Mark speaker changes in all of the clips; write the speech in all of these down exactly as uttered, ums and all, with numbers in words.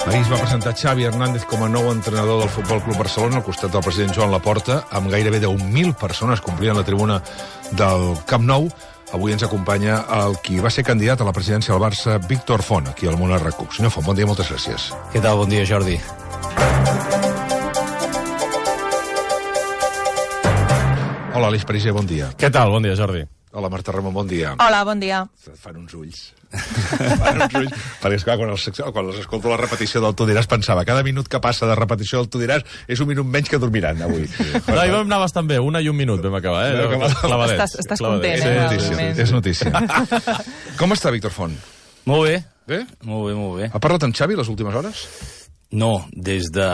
Speaker 1: Ahir es va presentar Xavi Hernández com a nou entrenador del Futbol Club Barcelona al costat del president Joan Laporta, amb gairebé deu mil persones complint la tribuna del Camp Nou. Avui ens acompanya el qui va ser candidat a la presidència del Barça, Víctor Font, aquí al Món R Q. Senyor Font, bon dia, moltes gràcies.
Speaker 2: Què tal? Bon dia, Jordi.
Speaker 1: Hola, Aleix Pariser, bon dia.
Speaker 2: Què tal? Bon dia, Jordi.
Speaker 1: Hola, Marta Ramon, bon dia.
Speaker 3: Hola, bon dia.
Speaker 1: Fan uns ulls. Fan uns ulls. Perquè, esclar, quan, els, quan els escolto la repetició del Tu diràs, pensava, cada minut que passa de repetició del Tu diràs és un minut menys que dormiran avui. Sí.
Speaker 2: No, i vam anar bastant bé, una i un minut vam acabar, eh?
Speaker 1: Vam acabar.
Speaker 2: Clavadets.
Speaker 3: Estàs, estàs
Speaker 2: Clavadets.
Speaker 3: content,
Speaker 1: Sí,
Speaker 3: eh?
Speaker 1: és notícia, és notícia. Com està, Víctor Font?
Speaker 2: Molt bé.
Speaker 1: Bé?
Speaker 2: Molt bé, molt bé.
Speaker 1: Ha parlat amb Xavi les últimes hores?
Speaker 2: No, des de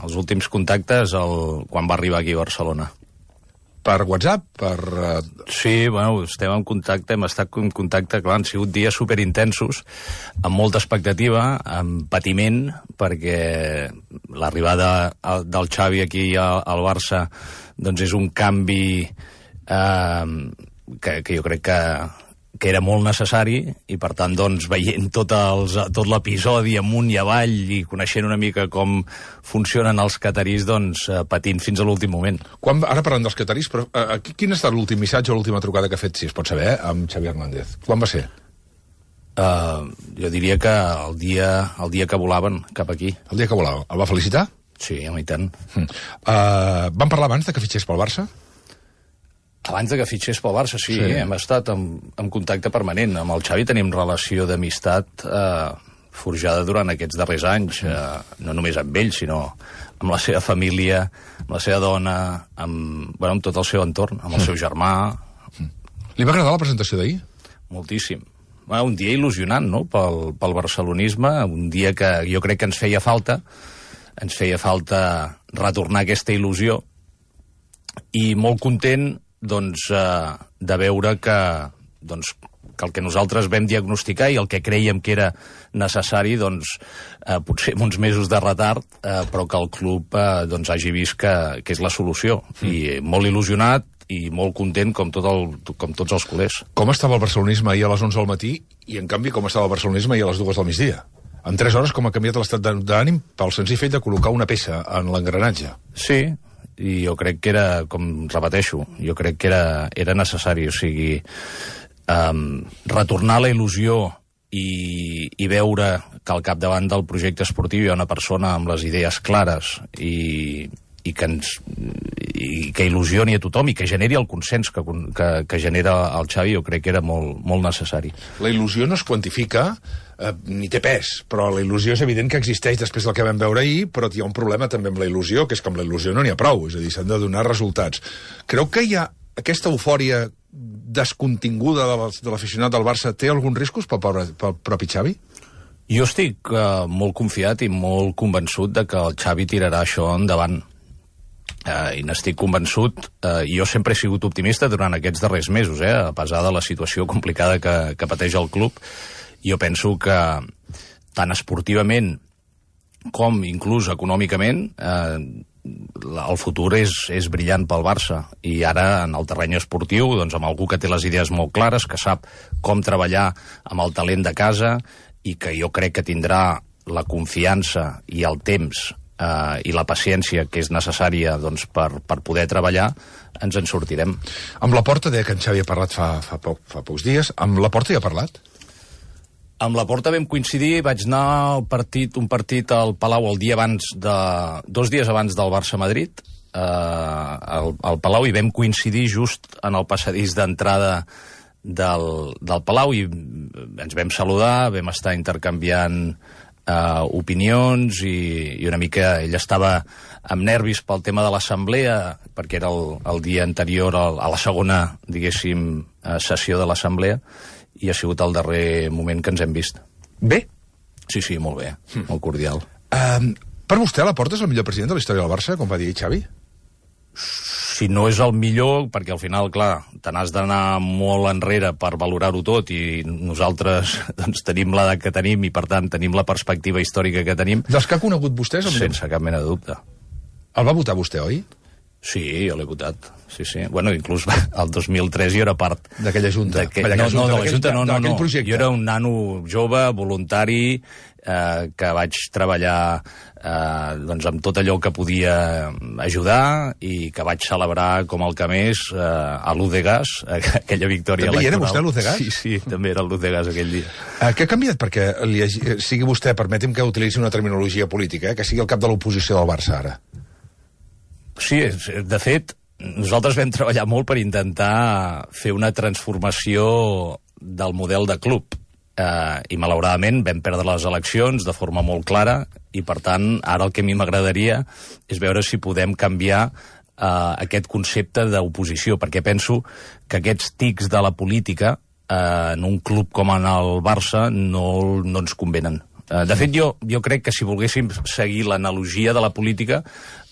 Speaker 2: els últims contactes el... quan va arribar aquí a Barcelona.
Speaker 1: Per WhatsApp? Per... Uh...
Speaker 2: Sí, bueno, estem en contacte, hem estat en contacte, clar, han sigut dies superintensos, amb molta expectativa, amb patiment, perquè l'arribada del Xavi aquí al Barça doncs és un canvi eh, que, que jo crec que que era molt necessari, i per tant, doncs, veient tot, els, tot l'episodi amunt i avall i coneixent una mica com funcionen els catarís, doncs, patint fins a l'últim moment.
Speaker 1: Quan, ara parlant dels catarís, però uh, quin ha estat l'últim missatge o l'última trucada que ha fet, si es pot saber, eh, amb Xavi Hernández? Quan va ser?
Speaker 2: Uh, jo diria que el dia, el dia que volaven cap aquí.
Speaker 1: El dia que volava. El va felicitar?
Speaker 2: Sí, home, i tant.
Speaker 1: Mm. Uh, van parlar abans de que fitxés pel Barça?
Speaker 2: Abans de que fitxés pel Barça, sí,
Speaker 1: sí.
Speaker 2: Hem estat en, en contacte permanent. Amb el Xavi tenim relació d'amistat eh, forjada durant aquests darrers anys, eh, no només amb ell, sinó amb la seva família, amb la seva dona, amb, bueno, amb tot el seu entorn, amb el seu germà.
Speaker 1: Li va agradar la presentació d'ahir?
Speaker 2: Moltíssim. Bueno, un dia il·lusionant, no?, pel, pel barcelonisme, un dia que jo crec que ens feia falta, ens feia falta retornar aquesta il·lusió, i molt content doncs, eh, de veure que, doncs, que el que nosaltres vam diagnosticar i el que creiem que era necessari, doncs, eh, potser amb uns mesos de retard, eh, però que el club eh, doncs, hagi vist que, que és la solució. Mm. I molt il·lusionat i molt content, com, tot el, com tots els culers.
Speaker 1: Com estava el barcelonisme ahir a les onze del matí i, en canvi, com estava el barcelonisme ahir a les dues del migdia? En tres hores, com ha canviat l'estat d'ànim pel senzill fet de col·locar una peça en l'engranatge?
Speaker 2: Sí, i jo crec que era, com repeteixo, jo crec que era, era necessari, o sigui, um, retornar la il·lusió i, i veure que al capdavant del projecte esportiu hi ha una persona amb les idees clares i, i, que, ens, i que il·lusioni a tothom i que generi el consens que, que, que genera el Xavi, jo crec que era molt, molt necessari.
Speaker 1: La il·lusió no es quantifica eh, ni té pes, però la il·lusió és evident que existeix després del que vam veure ahir, però hi ha un problema també amb la il·lusió, que és que amb la il·lusió no n'hi ha prou, és a dir, s'han de donar resultats. Creu que hi ha aquesta eufòria descontinguda de l'aficionat del Barça té alguns riscos pel, pobre, pel propi Xavi?
Speaker 2: Jo estic uh, molt confiat i molt convençut de que el Xavi tirarà això endavant. Uh, i n'estic convençut. Uh, jo sempre he sigut optimista durant aquests darrers mesos, eh, a pesar de la situació complicada que, que pateix el club. Jo penso que tant esportivament com inclús econòmicament eh, el futur és, és brillant pel Barça, i ara en el terreny esportiu, doncs amb algú que té les idees molt clares, que sap com treballar amb el talent de casa i que jo crec que tindrà la confiança i el temps Uh, i la paciència que és necessària, doncs, per, per poder treballar, ens en sortirem.
Speaker 1: Amb Laporta, deia que en Xavi ha parlat fa, fa, poc, fa pocs dies. Amb Laporta hi ha parlat?
Speaker 2: Amb Laporta vam coincidir, vaig anar al partit, un partit al Palau el dia abans de, dos dies abans del Barça-Madrid, uh, al, al Palau, i vam coincidir just en el passadís d'entrada del, del Palau, i ens vam saludar, vam estar intercanviant Uh, opinions, i, i una mica ell estava amb nervis pel tema de l'assemblea, perquè era el, el dia anterior al, a la segona, diguéssim, uh, sessió de l'assemblea, i ha sigut el darrer moment que ens hem vist.
Speaker 1: Bé?
Speaker 2: Sí, sí, molt bé, hm. molt cordial.
Speaker 1: Um, per vostè, Laporta és el millor president de la història del Barça, com va dir Xavi?
Speaker 2: Si no és el millor, perquè al final, clar, te n'has d'anar molt enrere per valorar-ho tot, i nosaltres doncs, tenim l'edat que tenim i, per tant, tenim la perspectiva històrica que tenim.
Speaker 1: Dels que ha conegut vostès?
Speaker 2: Sense cap mena de dubte.
Speaker 1: El va votar vostè, oi?
Speaker 2: Sí, jo l'he votat. Sí, sí. Bueno, inclús el dos mil tres jo era part...
Speaker 1: D'aquella junta.
Speaker 2: Que... No, no, de la junta no, no, no. Jo era un nano jove, voluntari, eh, que vaig treballar eh, doncs amb tot allò que podia ajudar i que vaig celebrar com el que més eh, a l'U de Gas, aquella victòria
Speaker 1: també
Speaker 2: electoral.
Speaker 1: També era vostè a l'U de Gas?
Speaker 2: Sí, sí, també era l'U de Gas aquell dia.
Speaker 1: Eh, què ha canviat perquè li hagi, sigui vostè, permeti'm que utilitzi una terminologia política, eh, que sigui el cap de l'oposició del Barça ara?
Speaker 2: Sí, de fet, nosaltres vam treballar molt per intentar fer una transformació del model de club. Eh, I, malauradament, vam perdre les eleccions de forma molt clara i, per tant, ara el que a mi m'agradaria és veure si podem canviar eh, aquest concepte d'oposició, perquè penso que aquests tics de la política eh, en un club com en el Barça no, no ens convenen. Eh, de fet, jo, jo crec que si volguéssim seguir l'analogia de la política,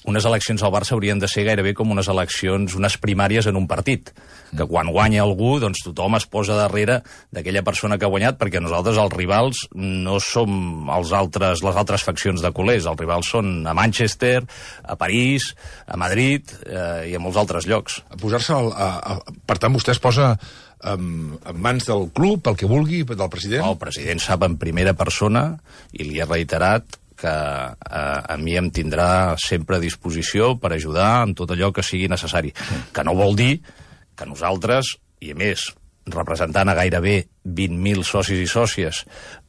Speaker 2: unes eleccions al Barça haurien de ser gairebé com unes eleccions, unes primàries en un partit, que quan guanya algú, doncs tothom es posa darrere d'aquella persona que ha guanyat, perquè nosaltres, els rivals, no som els altres, les altres faccions de culers, els rivals són a Manchester, a París, a Madrid eh, i a molts altres llocs.
Speaker 1: A posar-se al, a, a, per tant, vostè es posa en, en mans del club, el que vulgui, del president?
Speaker 2: El president sap en primera persona, i li he reiterat, que eh, a mi em tindrà sempre a disposició per ajudar en tot allò que sigui necessari. Mm. Que no vol dir que nosaltres, i a més, representant a gairebé vint mil socis i sòcies,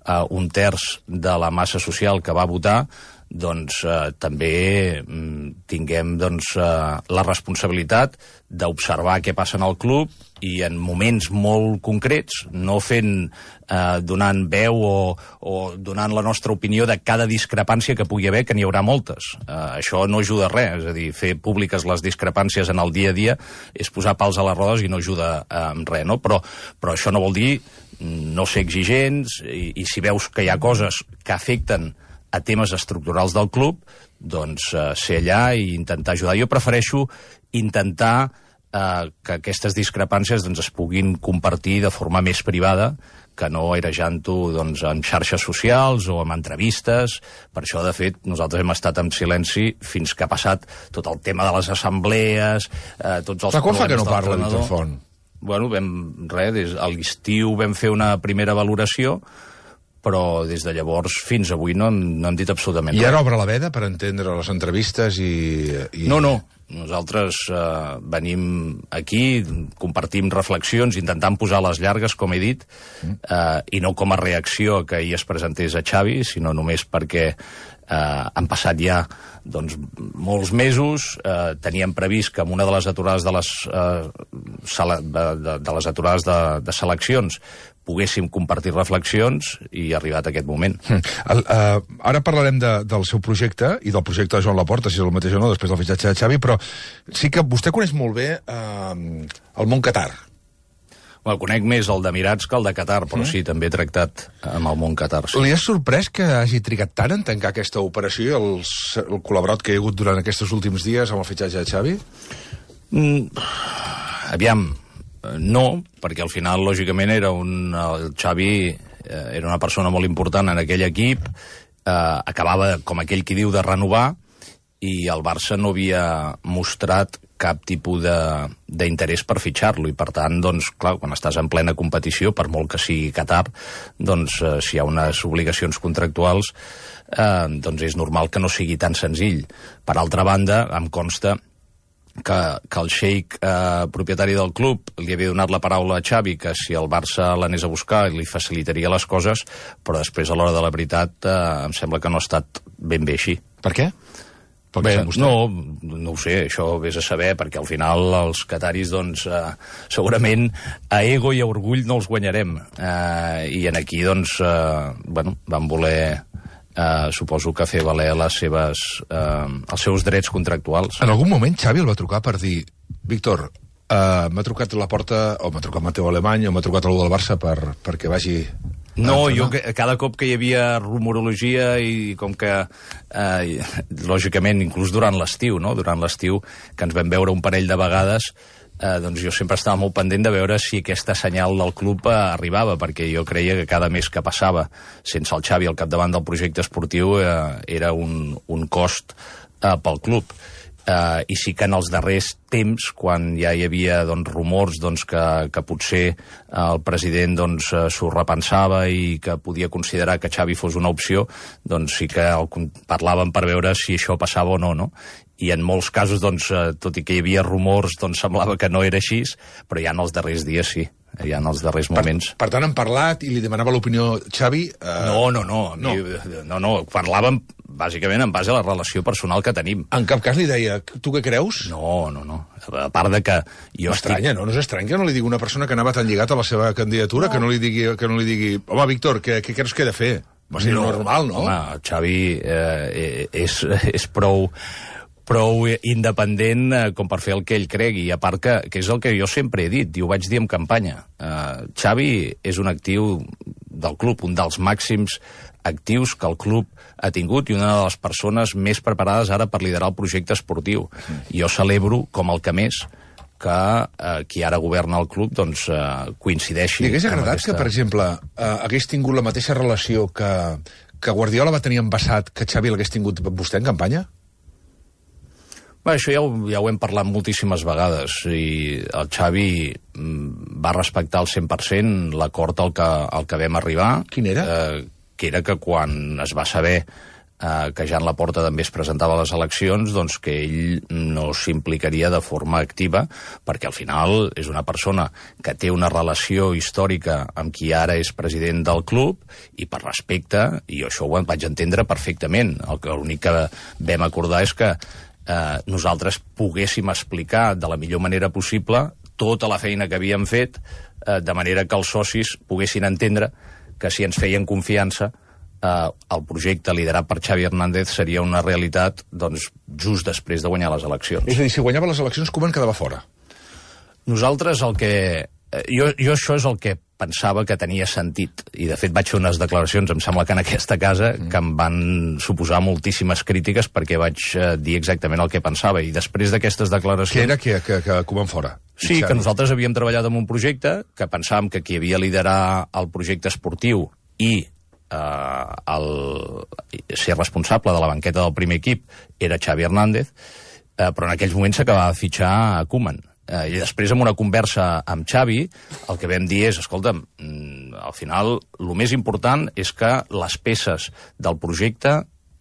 Speaker 2: eh, un terç de la massa social que va votar, doncs eh, també mm, tinguem doncs, eh, la responsabilitat d'observar què passa en el club i en moments molt concrets, no fent, eh, donant veu o, o donant la nostra opinió de cada discrepància que pugui haver, que n'hi haurà moltes. Eh, això no ajuda a res, és a dir, fer públiques les discrepàncies en el dia a dia és posar pals a les rodes i no ajuda eh, en res, no? Però, però això no vol dir no ser exigents i, i si veus que hi ha coses que afecten a temes estructurals del club, doncs eh, ser allà i intentar ajudar. Jo prefereixo intentar eh, que aquestes discrepàncies doncs, es puguin compartir de forma més privada, que no airejant-ho doncs, en xarxes socials o en entrevistes. Per això, de fet, nosaltres hem estat en silenci fins que ha passat tot el tema de les assemblees, eh, tots els...
Speaker 1: Però quan fa que no parla, Víctor Font?
Speaker 2: Bueno, vam, res, des, a l'estiu vam fer una primera valoració, però des de llavors fins avui no, no hem dit absolutament
Speaker 1: res. I
Speaker 2: ara
Speaker 1: obre la veda per entendre les entrevistes i... i...
Speaker 2: No, no. Nosaltres eh, venim aquí, compartim reflexions, intentant posar les llargues, com he dit, eh, i no com a reacció que ahir es presentés a Xavi, sinó només perquè eh, han passat ja doncs, molts mesos. Eh, teníem previst que amb una de les aturades de les, eh, sala, de, de, de les aturades de, de seleccions poguéssim compartir reflexions i ha arribat aquest moment.
Speaker 1: El, uh, ara parlarem de, del seu projecte i del projecte de Joan Laporta, si és el mateix o no, després del fitxatge de Xavi, però sí que vostè coneix molt bé uh, el món Qatar.
Speaker 2: Bueno, conec més el d'Emirats que el de Qatar, però mm. sí, també he tractat amb el món Qatar. Sí.
Speaker 1: Li ha sorprès que hagi trigat tant en tancar aquesta operació i el, el col·laborat que hi ha hagut durant aquests últims dies amb el fitxatge de Xavi?
Speaker 2: Mm, aviam, no, perquè al final, lògicament, era un, el Xavi eh, era una persona molt important en aquell equip, eh, acabava, com aquell qui diu, de renovar, i el Barça no havia mostrat cap tipus d'interès per fitxar-lo, i per tant, doncs, clar, quan estàs en plena competició, per molt que sigui Qatar, doncs, eh, si hi ha unes obligacions contractuals, eh, doncs és normal que no sigui tan senzill. Per altra banda, em consta que, que el xeic eh, propietari del club li havia donat la paraula a Xavi que si el Barça l'anés a buscar li facilitaria les coses, però després a l'hora de la veritat eh, em sembla que no ha estat ben bé així.
Speaker 1: Per què?
Speaker 2: Bé, no, no ho sé, això vés a saber, perquè al final els qataris, doncs, eh, segurament a ego i a orgull no els guanyarem. Eh, I en aquí, doncs, eh, bueno, van voler... Uh, suposo que fer valer les seves, uh, els seus drets contractuals.
Speaker 1: En algun moment Xavi el va trucar per dir Víctor, uh, m'ha trucat la porta, o m'ha trucat Mateu Alemany, o m'ha trucat algú del Barça per, perquè vagi...
Speaker 2: No, jo cada cop que hi havia rumorologia i com que, eh, lògicament, inclús durant l'estiu, no? Durant l'estiu, que ens vam veure un parell de vegades, eh, doncs jo sempre estava molt pendent de veure si aquesta senyal del club eh, arribava, perquè jo creia que cada mes que passava sense el Xavi al capdavant del projecte esportiu eh, era un, un cost eh, pel club. Uh, i sí que en els darrers temps, quan ja hi havia doncs, rumors doncs, que, que potser el president doncs, s'ho repensava i que podia considerar que Xavi fos una opció, doncs sí que el parlàvem per veure si això passava o no, no? I en molts casos, doncs, tot i que hi havia rumors, doncs semblava que no era així, però ja en els darrers dies sí. Ja en els darrers moments.
Speaker 1: Per, per tant, han parlat i li demanava l'opinió Xavi? Eh...
Speaker 2: No, no, no, no. Mi, no, no. Parlàvem bàsicament en base a la relació personal que tenim.
Speaker 1: En cap cas li deia, tu què creus?
Speaker 2: No, no, no. A part de que jo
Speaker 1: M'estranya,
Speaker 2: estic...
Speaker 1: no? No és estrany que no li digui una persona que anava tan lligat a la seva candidatura, no. que no li digui, que no li digui home, Víctor, què, què creus que he de fer? Va ser no, normal, no?
Speaker 2: Home, Xavi eh, és, és prou... prou independent eh, com per fer el que ell cregui, i a part que, que és el que jo sempre he dit, i ho vaig dir en campanya. Uh, Xavi és un actiu del club, un dels màxims actius que el club ha tingut i una de les persones més preparades ara per liderar el projecte esportiu. Mm. Jo celebro, com el que més, que eh, qui ara governa el club doncs, eh, coincideixi...
Speaker 1: Li hagués agradat aquesta... que, per exemple, eh, hagués tingut la mateixa relació que, que Guardiola va tenir en passat que Xavi l'hagués tingut amb vostè en campanya?
Speaker 2: Bé, això ja ho, ja ho hem parlat moltíssimes vegades i el Xavi va respectar al cent per cent l'acord al, que, al que vam arribar.
Speaker 1: Quin era?
Speaker 2: Eh, que era que quan es va saber eh, que Joan Laporta també es presentava a les eleccions, doncs que ell no s'implicaria de forma activa, perquè al final és una persona que té una relació històrica amb qui ara és president del club, i per respecte, i això ho vaig entendre perfectament. L'únic que vam acordar és que Eh, nosaltres poguéssim explicar de la millor manera possible tota la feina que havíem fet, eh, de manera que els socis poguessin entendre que si ens feien confiança eh, el projecte liderat per Xavi Hernández seria una realitat doncs, just després de guanyar les eleccions.
Speaker 1: És a dir, si guanyava les eleccions, Koeman quedava fora?
Speaker 2: Nosaltres el que... Eh, jo, jo això és el que pensava que tenia sentit, i de fet vaig fer unes declaracions, em sembla que en aquesta casa, mm. que em van suposar moltíssimes crítiques perquè vaig eh, dir exactament el que pensava, i després d'aquestes declaracions...
Speaker 1: Què era que, que, que Koeman fora?
Speaker 2: Sí, que nosaltres havíem treballat en un projecte, que pensàvem que qui havia liderar el projecte esportiu i eh, el, ser responsable de la banqueta del primer equip era Xavi Hernández, eh, però en aquells moments s'acabava de fitxar a Koeman. Uh, I després, en una conversa amb Xavi, el que vam dir és, escolta'm, mm, al final, el més important és que les peces del projecte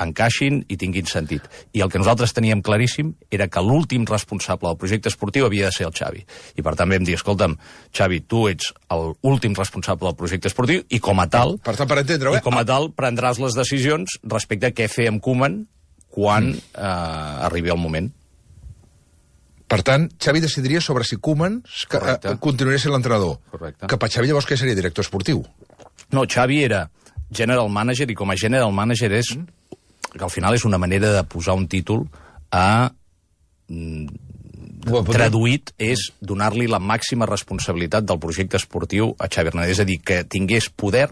Speaker 2: encaixin i tinguin sentit. I el que nosaltres teníem claríssim era que l'últim responsable del projecte esportiu havia de ser el Xavi. I per tant vam dir, escolta'm, Xavi, tu ets l'últim responsable del projecte esportiu i com a tal...
Speaker 1: Per tant, per entendre-ho,
Speaker 2: eh? I com a tal prendràs les decisions respecte a què fer amb Koeman quan mm. eh, arribi el moment.
Speaker 1: Per tant, Xavi decidiria sobre si Koeman eh, continuaria sent l'entrenador.
Speaker 2: Correcte.
Speaker 1: Que per Xavi llavors què seria? Director esportiu?
Speaker 2: No, Xavi era general manager, i com a general manager és mm. que al final és una manera de posar un títol a... Mm, traduït és donar-li la màxima responsabilitat del projecte esportiu a Xavi Hernández, és a dir, que tingués poder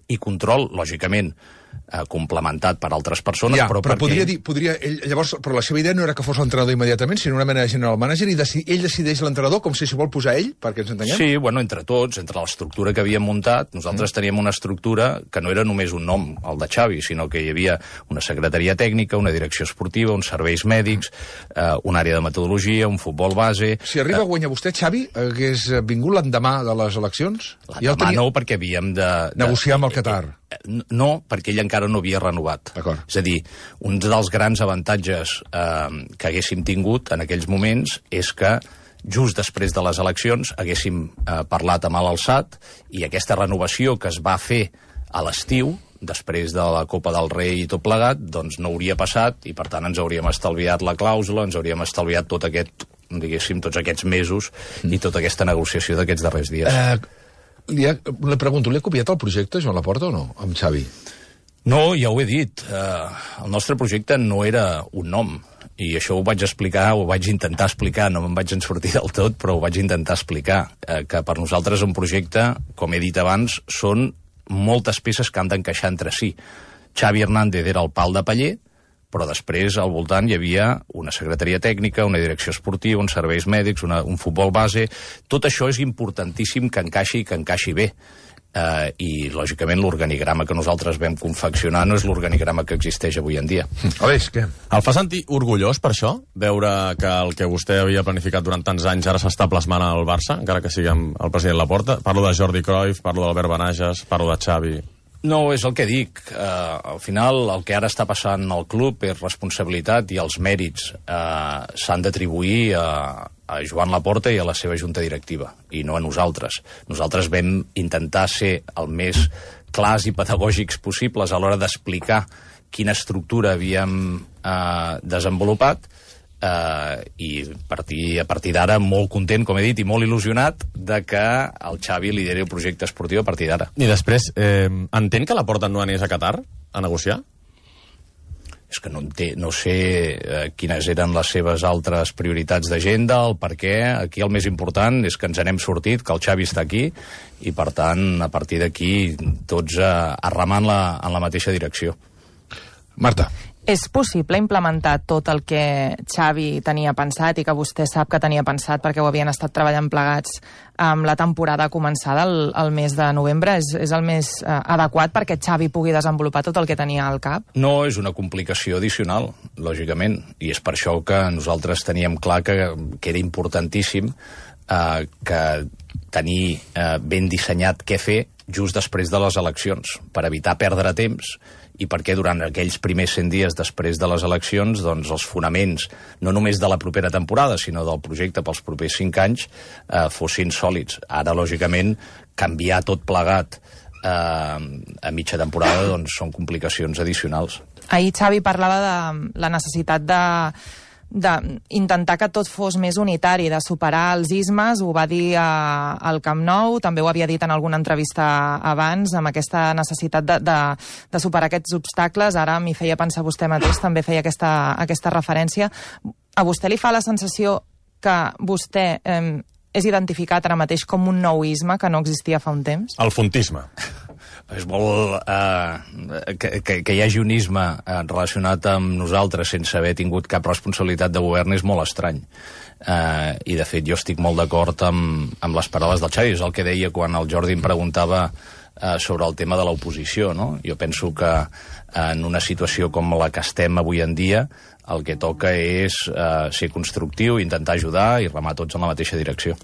Speaker 2: i control, lògicament, eh, complementat per altres persones,
Speaker 1: ja,
Speaker 2: però,
Speaker 1: però
Speaker 2: perquè...
Speaker 1: podria dir, podria, ell, llavors, però la seva idea no era que fos l'entrenador immediatament, sinó una mena de general manager, i deci, ell decideix l'entrenador, com si s'hi vol posar ell, perquè ens entenguem?
Speaker 2: Sí, bueno, entre tots, entre l'estructura que havíem muntat, nosaltres mm. teníem una estructura que no era només un nom, el de Xavi, sinó que hi havia una secretaria tècnica, una direcció esportiva, uns serveis mèdics, eh, una àrea de metodologia, un futbol base...
Speaker 1: Si arriba a guanyar vostè, Xavi, hagués vingut l'endemà de les eleccions?
Speaker 2: L'endemà ja tenia... no, perquè havíem de... de...
Speaker 1: negociar amb el Qatar.
Speaker 2: No, perquè ell encara no havia renovat. És a dir, un dels grans avantatges eh, que haguéssim tingut en aquells moments és que just després de les eleccions haguéssim eh, parlat amb l'Alçat, i aquesta renovació que es va fer a l'estiu, després de la Copa del Rei i tot plegat, doncs no hauria passat, i per tant ens hauríem estalviat la clàusula, ens hauríem estalviat tot aquest, diguéssim, tots aquests mesos mm. i tota aquesta negociació d'aquests darrers dies.
Speaker 1: Uh... Li, ha, li pregunto, li ha copiat el projecte Joan Laporta o no, amb Xavi?
Speaker 2: No, ja ho he dit. Uh, el nostre projecte no era un nom, i això ho vaig explicar, ho vaig intentar explicar, no me'n vaig en sortir del tot, però ho vaig intentar explicar, uh, que per nosaltres un projecte, com he dit abans, són moltes peces que han d'encaixar entre si. Xavi Hernández era el pal de paller, però després al voltant hi havia una secretaria tècnica, una direcció esportiva, uns serveis mèdics, una, un futbol base... Tot això és importantíssim que encaixi i que encaixi bé. Uh, i, lògicament, l'organigrama que nosaltres vam confeccionar no és l'organigrama que existeix avui en dia.
Speaker 1: Aleix, què?
Speaker 3: El fa sentir orgullós, per això, veure que el que vostè havia planificat durant tants anys ara s'està plasmant al Barça, encara que sigui amb el president Laporta? Parlo de Jordi Cruyff, parlo d'Albert Benages, parlo de Xavi...
Speaker 2: No, és el que dic. Uh, al final, el que ara està passant al club és responsabilitat i els mèrits uh, s'han d'atribuir a, a Joan Laporta i a la seva junta directiva, i no a nosaltres. Nosaltres vam intentar ser el més clars i pedagògics possibles a l'hora d'explicar quina estructura havíem uh, desenvolupat, Uh, i partir, a partir d'ara molt content, com he dit, i molt il·lusionat de que el Xavi lideri el projecte esportiu a partir d'ara.
Speaker 3: I després, eh, entén que Laporta no anés a Qatar a negociar?
Speaker 2: És que no, té, no sé eh, quines eren les seves altres prioritats d'agenda, el per què. Aquí el més important és que ens n'hem sortit, que el Xavi està aquí, i per tant, a partir d'aquí, tots eh, arremant la, en la mateixa direcció.
Speaker 1: Marta.
Speaker 4: És possible implementar tot el que Xavi tenia pensat i que vostè sap que tenia pensat perquè ho havien estat treballant plegats amb la temporada començada el, el mes de novembre? És, és el més eh, adequat perquè Xavi pugui desenvolupar tot el que tenia al cap?
Speaker 2: No, és una complicació addicional, lògicament, i és per això que nosaltres teníem clar que, que era importantíssim eh, que tenir eh, ben dissenyat què fer just després de les eleccions, per evitar perdre temps i perquè durant aquells primers cent dies després de les eleccions doncs, els fonaments, no només de la propera temporada, sinó del projecte pels propers cinc anys, eh, fossin sòlids. Ara, lògicament, canviar tot plegat eh, a mitja temporada doncs, són complicacions addicionals.
Speaker 4: Ahir Xavi parlava de la necessitat de d'intentar que tot fos més unitari, de superar els ismes, ho va dir a, al Camp Nou, també ho havia dit en alguna entrevista abans, amb aquesta necessitat de, de, de superar aquests obstacles. Ara m'hi feia pensar vostè mateix, també feia aquesta, aquesta referència. A vostè li fa la sensació que vostè eh, és identificat ara mateix com un nouisme que no existia fa un temps?
Speaker 3: El fontisme.
Speaker 2: És molt... Eh, que, que, que hi hagi un isme eh, relacionat amb nosaltres sense haver tingut cap responsabilitat de govern és molt estrany. Eh, I, de fet, jo estic molt d'acord amb, amb les paraules del Xavi. És el que deia quan el Jordi em preguntava eh, sobre el tema de l'oposició, no? Jo penso que eh, en una situació com la que estem avui en dia el que toca és eh, ser constructiu, intentar ajudar i remar tots en la mateixa direcció.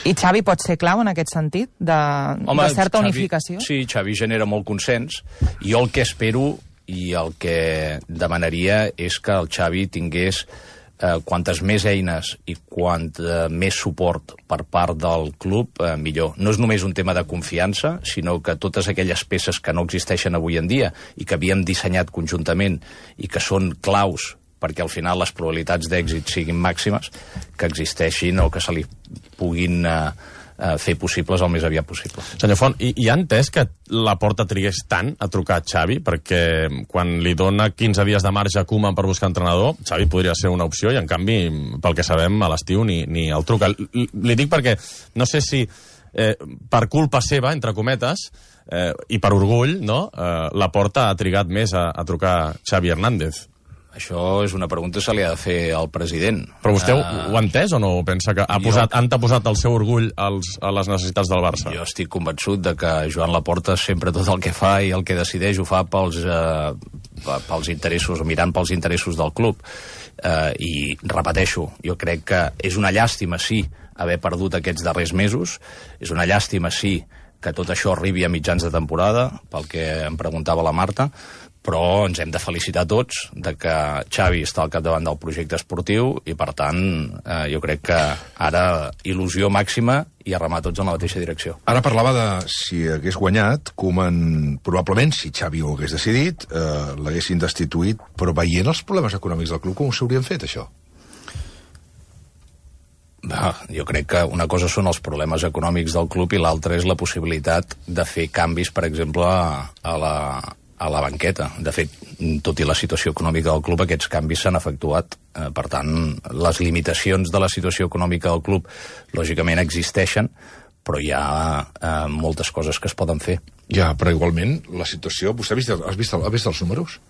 Speaker 4: I Xavi pot ser clau en aquest sentit, de, Home, de certa
Speaker 2: Xavi,
Speaker 4: unificació?
Speaker 2: Sí, Xavi genera molt consens. Jo el que espero i el que demanaria és que el Xavi tingués eh, quantes més eines i quant eh, més suport per part del club, eh, millor. No és només un tema de confiança, sinó que totes aquelles peces que no existeixen avui en dia i que havíem dissenyat conjuntament i que són claus perquè al final les probabilitats d'èxit siguin màximes, que existeixin o que se li puguin eh, eh, fer possibles el més aviat possible.
Speaker 3: Senyor Font, i, i ha entès que Laporta trigués tant a trucar a Xavi? Perquè quan li dona quinze dies de marge a Koeman per buscar entrenador, Xavi podria ser una opció i, en canvi, pel que sabem, a l'estiu ni, ni el truca. L li dic perquè no sé si eh, per culpa seva, entre cometes, eh, i per orgull, no? eh, Laporta ha trigat més a, a trucar Xavi Hernández.
Speaker 2: Això és una pregunta que se li ha de fer al president.
Speaker 3: Però vostè uh,
Speaker 2: uh,
Speaker 3: ho ha entès o no? Pensa que ha posat,
Speaker 2: jo,
Speaker 3: han posat el seu orgull als, a les necessitats del Barça?
Speaker 2: Jo estic convençut de que Joan Laporta sempre tot el que fa i el que decideix ho fa pels, uh, pels interessos, mirant pels interessos del club. Uh, I repeteixo, jo crec que és una llàstima, sí, haver perdut aquests darrers mesos, és una llàstima, sí, que tot això arribi a mitjans de temporada, pel que em preguntava la Marta, però ens hem de felicitar tots de que Xavi està al capdavant del projecte esportiu i, per tant, eh, jo crec que ara il·lusió màxima i a remar tots en la mateixa direcció.
Speaker 1: Ara parlava de si hagués guanyat, Koeman, probablement, si Xavi ho hagués decidit, eh, l'haguessin destituït, però veient els problemes econòmics del club, com s'haurien fet, això?
Speaker 2: Ah, jo crec que una cosa són els problemes econòmics del club i l'altra és la possibilitat de fer canvis, per exemple, a la, a la banqueta. De fet, tot i la situació econòmica del club, aquests canvis s'han efectuat. Eh, per tant, les limitacions de la situació econòmica del club, lògicament, existeixen, però hi ha eh, moltes coses que es poden fer.
Speaker 1: Ja, però igualment, la situació... Vostè ha vist, has vist, has vist els números?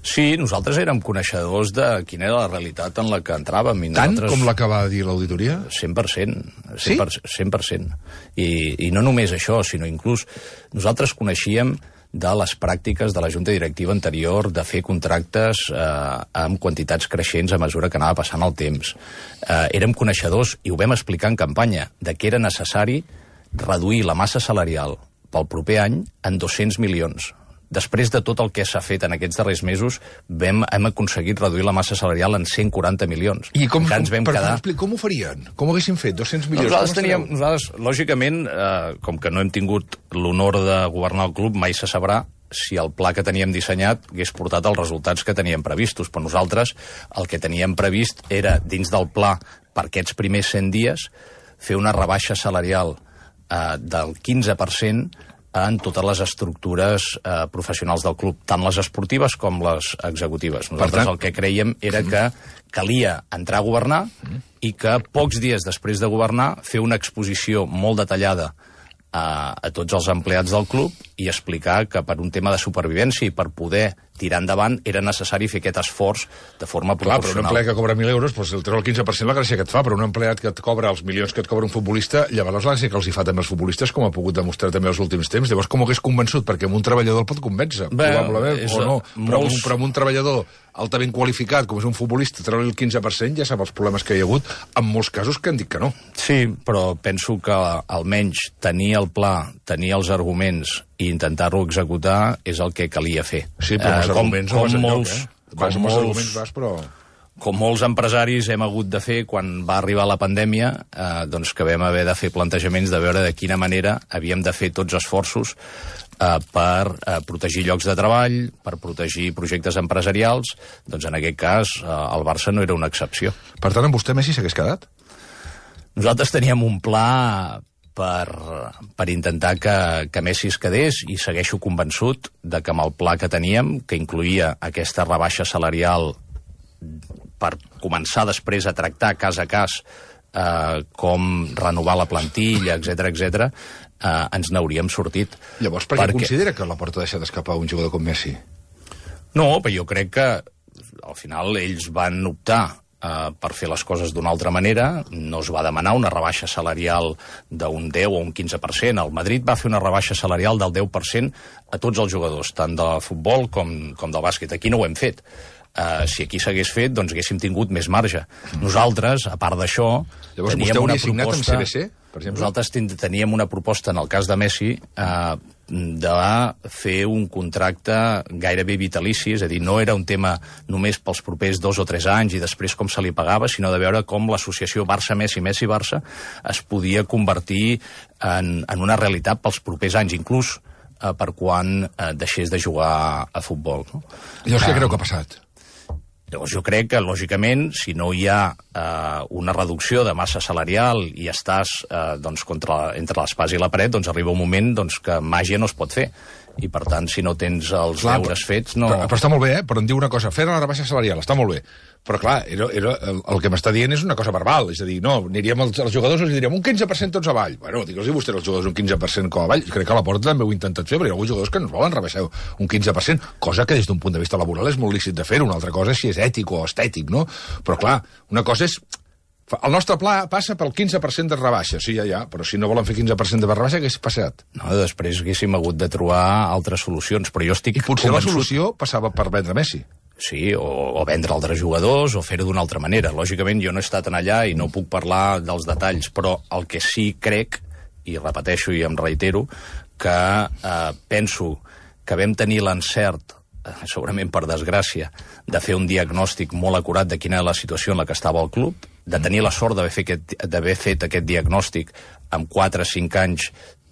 Speaker 2: Sí, nosaltres érem coneixedors de quina era la realitat en la que entràvem. I
Speaker 1: Tant
Speaker 2: nosaltres...
Speaker 1: com la que va dir l'auditoria?
Speaker 2: cent per cent.
Speaker 1: Sí?
Speaker 2: cent per cent. I, I no només això, sinó inclús nosaltres coneixíem de les pràctiques de la Junta Directiva anterior de fer contractes eh, amb quantitats creixents a mesura que anava passant el temps. Eh, érem coneixedors, i ho vam explicar en campanya, de que era necessari reduir la massa salarial pel proper any en dos-cents milions. Després de tot el que s'ha fet en aquests darrers mesos, vam, hem aconseguit reduir la massa salarial en cent quaranta milions.
Speaker 1: I com,
Speaker 2: Encara ens vam
Speaker 1: per,
Speaker 2: quedar...
Speaker 1: per, com ho farien? Com ho haguessin fet? dos-cents milions?
Speaker 2: Nosaltres teníem, nosaltres, lògicament, eh, com que no hem tingut l'honor de governar el club, mai se sabrà si el pla que teníem dissenyat hagués portat els resultats que teníem previstos. Però nosaltres el que teníem previst era, dins del pla, per aquests primers cent dies, fer una rebaixa salarial eh, del quinze per cent en totes les estructures eh, professionals del club, tant les esportives com les executives. Nosaltres tant... el que creiem era que calia entrar a governar i que pocs dies després de governar fer una exposició molt detallada a, a tots els empleats del club i explicar que per un tema de supervivència i per poder tirar endavant era necessari fer aquest esforç de forma
Speaker 1: Clar,
Speaker 2: proporcional.
Speaker 1: però un empleat que cobra mil euros, doncs el treu el quinze per cent la gràcia que et fa, però un empleat que et cobra els milions que et cobra un futbolista, llavors la gràcia que els hi fa també els futbolistes, com ha pogut demostrar també els últims temps. Llavors, com ho hagués convençut? Perquè amb un treballador el pot convèncer,
Speaker 2: Bé,
Speaker 1: probablement,
Speaker 2: és,
Speaker 1: o no. Però,
Speaker 2: molts...
Speaker 1: un, però amb un treballador altament qualificat, com és un futbolista, treure el quinze per cent, ja sap els problemes que hi ha hagut, en molts casos que han dit que no.
Speaker 2: Sí, però penso que almenys tenir el pla, tenir els arguments i intentar-lo executar és el que calia fer.
Speaker 1: Sí, però els
Speaker 2: eh,
Speaker 1: arguments
Speaker 2: com,
Speaker 1: no vas
Speaker 2: com
Speaker 1: enlloc,
Speaker 2: molts,
Speaker 1: eh? Vas amb els arguments, vas, però...
Speaker 2: Com molts empresaris hem hagut de fer quan va arribar la pandèmia, eh, doncs que vam haver de fer plantejaments de veure de quina manera havíem de fer tots esforços eh, per eh, protegir llocs de treball, per protegir projectes empresarials. Doncs en aquest cas eh, el Barça no era una excepció.
Speaker 1: Per tant, amb vostè Messi s'hagués quedat?
Speaker 2: Nosaltres teníem un pla per, per intentar que, que Messi es quedés i segueixo convençut de que amb el pla que teníem, que incluïa aquesta rebaixa salarial per començar després a tractar cas a cas eh, com renovar la plantilla, etcètera, etcètera, eh, ens n'hauríem sortit.
Speaker 1: Llavors, per què perquè... considera que la Porta ha deixat escapar un jugador com Messi?
Speaker 2: No, però jo crec que al final ells van optar Uh, per fer les coses d'una altra manera. No es va demanar una rebaixa salarial d'un deu o un quinze per cent. El Madrid va fer una rebaixa salarial del deu per cent a tots els jugadors, tant de futbol com, com del bàsquet. Aquí no ho hem fet. Uh, si aquí s'hagués fet, doncs haguéssim tingut més marge. Mm. Nosaltres, a part d'això,
Speaker 1: llavors,
Speaker 2: teníem
Speaker 1: vostè
Speaker 2: una
Speaker 1: hauria signat
Speaker 2: proposta...
Speaker 1: amb C B C, per exemple?
Speaker 2: Nosaltres teníem una proposta, en el cas de Messi, uh, de fer un contracte gairebé vitalici, és a dir, no era un tema només pels propers dos o tres anys i després com se li pagava, sinó de veure com l'associació Barça-Messi, Messi-Barça es podia convertir en, en una realitat pels propers anys, inclús eh, per quan eh, deixés de jugar a futbol. No?
Speaker 1: Llavors, què creu que ha passat?
Speaker 2: Llavors jo crec que, lògicament, si no hi ha eh, una reducció de massa salarial i estàs eh, doncs, contra, entre l'espasa i la paret, doncs arriba un moment doncs, que màgia no es pot fer. I, per tant, si no tens els
Speaker 1: clar,
Speaker 2: deures fets, no...
Speaker 1: Però, però està molt bé, eh? Però em diu una cosa, fer la rebaixa salarial, està molt bé. Però, clar, era, era, el, el que m'està dient és una cosa verbal. És a dir, no, aniríem als, als jugadors i els diríem un quinze per cent tots avall. Bueno, digue'ls-hi vostès als jugadors un quinze per cent com avall. Crec que a la Porta també ho he intentat fer, però hi ha alguns jugadors que ens volen rebaixar un quinze per cent, cosa que des d'un punt de vista laboral és molt lícit de fer. Una altra cosa és si és ètic o estètic, no? Però, clar, una cosa és... El nostre pla passa pel quinze per cent de rebaixa, sí, ja, ja, però si no volen fer quinze per cent de rebaixa, què s'ha passat?
Speaker 2: No, després haguéssim hagut de trobar altres solucions, però jo estic
Speaker 1: I potser
Speaker 2: convençut...
Speaker 1: la solució passava per vendre Messi.
Speaker 2: Sí, o, o vendre altres jugadors, o fer-ho d'una altra manera. Lògicament, jo no he estat en allà i no puc parlar dels detalls, però el que sí crec, i repeteixo i em reitero, que eh, penso que vam tenir l'encert, segurament per desgràcia, de fer un diagnòstic molt acurat de quina era la situació en la que estava el club, de tenir la sort d'haver fet, fet aquest diagnòstic amb quatre o cinc anys,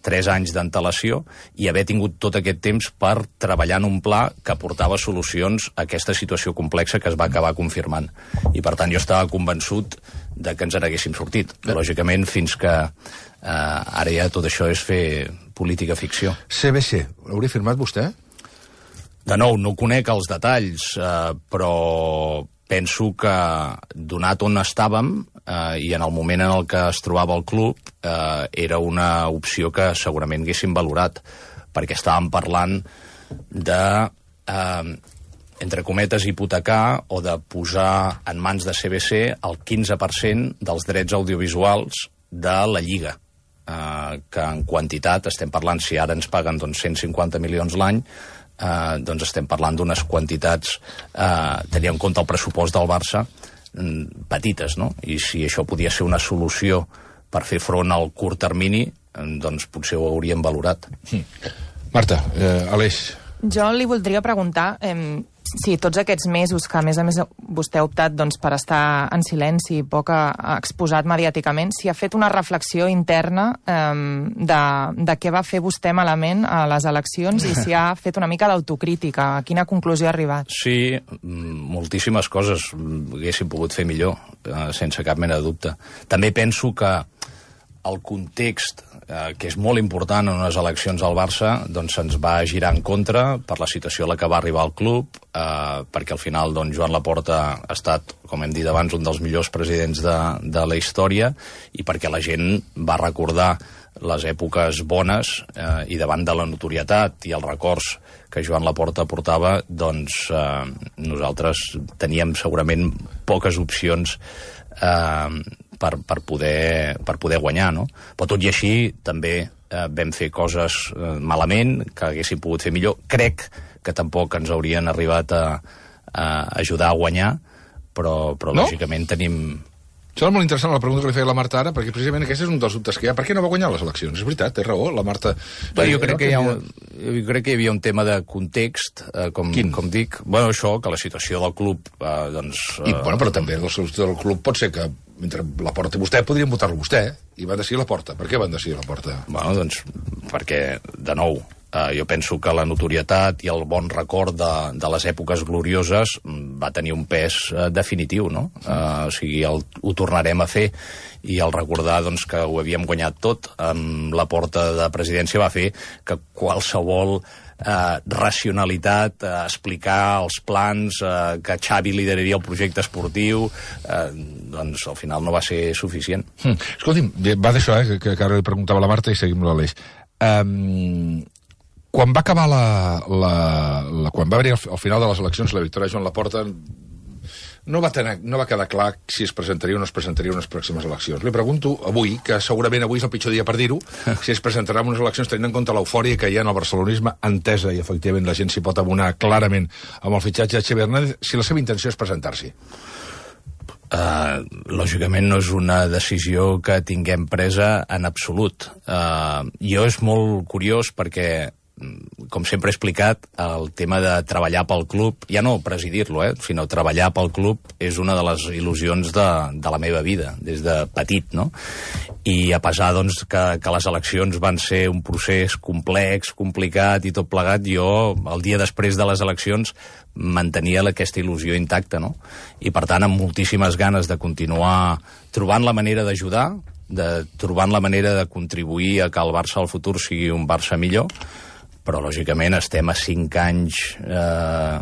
Speaker 2: tres anys d'antelació, i haver tingut tot aquest temps per treballar en un pla que aportava solucions a aquesta situació complexa que es va acabar confirmant. I, per tant, jo estava convençut de que ens en haguéssim sortit. Lògicament, fins que eh, ara ja tot això és fer política ficció.
Speaker 1: C B C, l'hauria firmat vostè?
Speaker 2: De nou, no conec els detalls, eh, però penso que, donat on estàvem eh, i en el moment en el que es trobava el club, eh, era una opció que segurament haguéssim valorat, perquè estàvem parlant de eh, entre cometes, hipotecar o de posar en mans de C B C el quinze per cent dels drets audiovisuals de la Lliga, eh, que en quantitat estem parlant, si ara ens paguen doncs, cent cinquanta milions l'any, eh, doncs estem parlant d'unes quantitats, eh, tenint en compte el pressupost del Barça, mm, petites, no? I si això podia ser una solució per fer front al curt termini, eh, doncs potser ho hauríem valorat.
Speaker 1: Mm. Marta, eh, Aleix...
Speaker 4: Jo li voldria preguntar eh, si tots aquests mesos que, a més a més, vostè ha optat doncs, per estar en silenci i poc exposat mediàticament, si ha fet una reflexió interna eh, de, de què va fer vostè malament a les eleccions i si ha fet una mica d'autocrítica. A quina conclusió ha arribat?
Speaker 2: Sí, moltíssimes coses haguéssim pogut fer millor, eh, sense cap mena de dubte. També penso que el context, eh, que és molt important en unes eleccions al Barça, doncs se'ns va girar en contra per la situació a la que va arribar el club, eh, perquè al final doncs, Joan Laporta ha estat, com hem dit abans, un dels millors presidents de, de la història, i perquè la gent va recordar les èpoques bones eh, i davant de la notorietat i els records que Joan Laporta portava, doncs eh, nosaltres teníem segurament poques opcions eh, Per, per, poder, per poder guanyar, no? Però tot i així també eh, vam fer coses eh, malament, que haguéssim pogut fer millor. Crec que tampoc ens haurien arribat a, a ajudar a guanyar, però, però no? Lògicament tenim...
Speaker 1: Sembla molt interessant la pregunta que li feia la Marta ara, perquè precisament aquest és un dels dubtes que hi ha. Per què no va guanyar les eleccions? És veritat, té raó, la Marta...
Speaker 2: Bé, jo, crec que hi ha un, jo crec que hi havia un tema de context, eh, com, com dic. Bueno, això, que la situació del club, eh, doncs... Eh...
Speaker 1: I, bueno, però també la situació del club pot ser que mentre Laporta i vostè podrien votar-lo vostè, i van decidir Laporta. Per què van decidir Laporta?
Speaker 2: Bueno, doncs perquè, de nou, eh, jo penso que la notorietat i el bon record de, de les èpoques glorioses va tenir un pes eh, definitiu, no? Eh, o sigui, el, ho tornarem a fer, i el recordar doncs, que ho havíem guanyat tot amb Laporta de presidència va fer que qualsevol Eh, racionalitat, eh, explicar els plans, eh, que Xavi lideraria el projecte esportiu, eh, doncs al final no va ser suficient.
Speaker 1: Mm. Escolti'm, va d'això, eh, que, que ara li preguntava a la Marta i seguim l'Aleix. Um, quan va acabar la, la, la... Quan va haver al, al final de les eleccions la victòria de Joan Laporta, no va, tener, no va quedar clar si es presentaria o no es presentaria unes pròximes eleccions. Li pregunto avui, que segurament avui és el pitjor dia per dir-ho, si es presentarà en unes eleccions tenint en compte l'eufòria que hi ha en el barcelonisme, entesa, i efectivament la gent s'hi pot abonar clarament amb el fitxatge de Xavi Hernández, si la seva intenció és presentar-s'hi.
Speaker 2: Uh, lògicament no és una decisió que tinguem presa en absolut. Uh, jo és molt curiós perquè, com sempre he explicat, el tema de treballar pel club, ja no presidir-lo, eh, sinó treballar pel club és una de les il·lusions de, de la meva vida, des de petit, no? I a pesar, doncs, que, que les eleccions van ser un procés complex, complicat i tot plegat, jo, el dia després de les eleccions, mantenia aquesta il·lusió intacta, no? I, per tant, amb moltíssimes ganes de continuar trobant la manera d'ajudar, de trobant la manera de contribuir a que el Barça al futur sigui un Barça millor, però lògicament estem a cinc anys eh,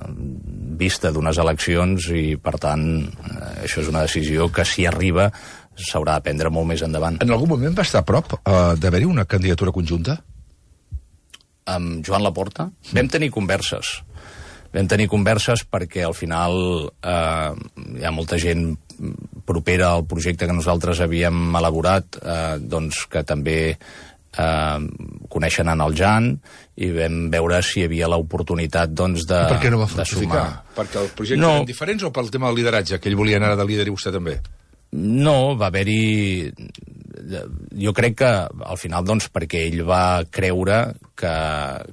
Speaker 2: vista d'unes eleccions i, per tant, eh, això és una decisió que, si arriba, s'haurà de prendre molt més endavant.
Speaker 1: En algun moment va estar a prop eh, d'haver-hi una candidatura conjunta?
Speaker 2: Amb Joan Laporta? Mm. Vam tenir converses. Vam tenir converses perquè, al final, eh, hi ha molta gent propera al projecte que nosaltres havíem elaborat, eh, doncs que també Uh, coneixen en el Jan, i vam veure si hi havia l'oportunitat, doncs, de,
Speaker 1: per què no va
Speaker 2: de sumar.
Speaker 1: Perquè els projectes
Speaker 2: no.
Speaker 1: eren diferents, o pel tema del lideratge, que ell volia anar de líder i vostè també?
Speaker 2: No, va haver-hi... Jo crec que, al final, doncs, perquè ell va creure que,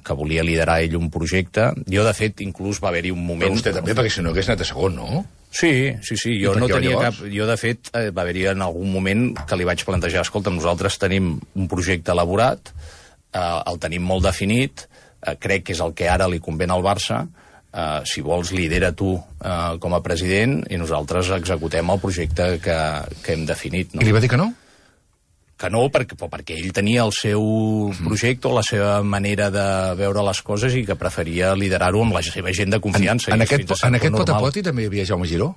Speaker 2: que volia liderar ell un projecte. Jo, de fet, inclús va haver-hi un moment...
Speaker 1: Però vostè també, perquè si no hagués anat a segon, no?
Speaker 2: Sí, sí, sí, jo no tenia cap... Jo, de fet, eh, va haver-hi en algun moment que li vaig plantejar, escolta, nosaltres tenim un projecte elaborat, eh, el tenim molt definit, eh, crec que és el que ara li convé al Barça, eh, si vols lidera tu eh, com a president i nosaltres executem el projecte que, que hem definit. No?
Speaker 1: I li va dir que no?
Speaker 2: Que no, perquè, perquè ell tenia el seu projecte o la seva manera de veure les coses i que preferia liderar-ho amb la seva gent de confiança.
Speaker 1: En, en aquest, en aquest pot-a-poti també hi havia Jaume Giró?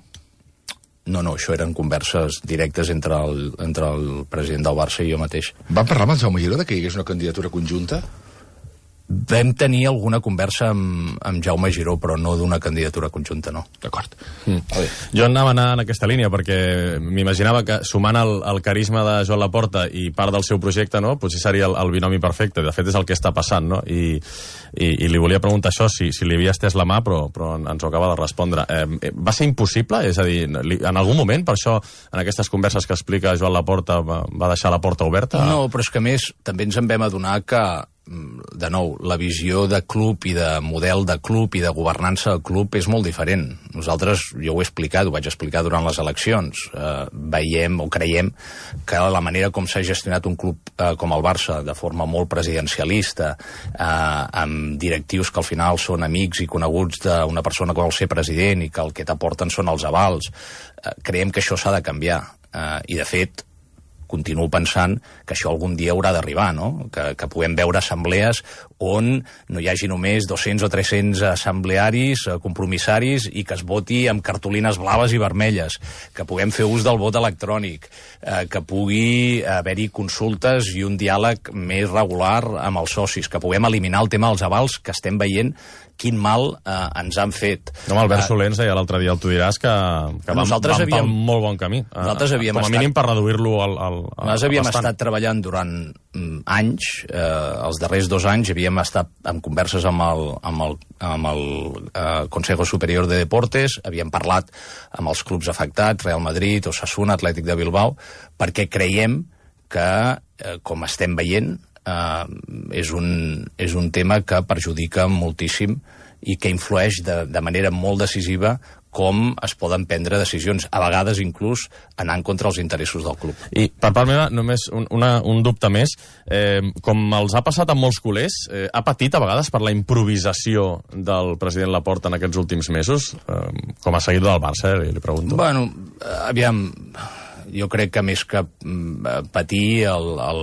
Speaker 2: No, no, això eren converses directes entre el, entre el president del Barça i jo mateix.
Speaker 1: Van parlar amb el Jaume Giró de que hi hagués una candidatura conjunta?
Speaker 2: Vam tenir alguna conversa amb, amb Jaume Giró, però no d'una candidatura conjunta, no.
Speaker 1: D'acord.
Speaker 3: Mm. Jo anava a anar en aquesta línia perquè m'imaginava que sumant el, el carisma de Joan Laporta i part del seu projecte, no, potser seria el, el binomi perfecte. De fet, és el que està passant, no? I, i, i li volia preguntar això, si, si li havia estès la mà, però, però ens ho acaba de respondre. Eh, va ser impossible? És a dir, li, en algun moment, per això, en aquestes converses que explica Joan Laporta, va, va deixar la porta oberta?
Speaker 2: No, però és que a més també ens en vam adonar que de nou, la visió de club i de model de club i de governança del club és molt diferent. Nosaltres, jo ho he explicat, ho vaig explicar durant les eleccions, eh, veiem o creiem que la manera com s'ha gestionat un club eh, com el Barça, de forma molt presidencialista, eh, amb directius que al final són amics i coneguts d'una persona que vol ser president i que el que t'aporten són els avals, eh, creiem que això s'ha de canviar. Eh, I, de fet, continuo pensant que això algun dia haurà d'arribar, no? Que, que puguem veure assemblees on no hi hagi només dos-cents o tres-cents assemblearis, compromissaris, i que es voti amb cartolines blaves i vermelles, que puguem fer ús del vot electrònic, eh, que pugui haver-hi consultes i un diàleg més regular amb els socis, que puguem eliminar el tema dels avals, que estem veient quin mal eh, ens han fet.
Speaker 3: No, Albert Soler ens deia l'altre dia, tu diràs, que, que vam, vam havíem, pel molt bon camí.
Speaker 2: Nosaltres havíem
Speaker 3: Com a
Speaker 2: estat,
Speaker 3: mínim per reduir-lo al, al, al
Speaker 2: Nosaltres havíem
Speaker 3: bastant.
Speaker 2: estat treballant durant mm, anys, eh, els darrers dos anys havíem estat en converses amb el, amb el, amb el eh, Consejo Superior de Deportes, havíem parlat amb els clubs afectats, Real Madrid, Osasuna, Atlètic de Bilbao, perquè creiem que, eh, com estem veient, Uh, és, un, és un tema que perjudica moltíssim i que influeix de, de manera molt decisiva com es poden prendre decisions, a vegades inclús anant contra els interessos del club.
Speaker 3: I per part meva, només un, una, un dubte més. Eh, com els ha passat amb molts culers, eh, ha patit a vegades per la improvisació del president Laporta en aquests últims mesos? Eh, com a seguidor del Barça, eh, li pregunto.
Speaker 2: Bueno, aviam... Jo crec que més que patir, el, el,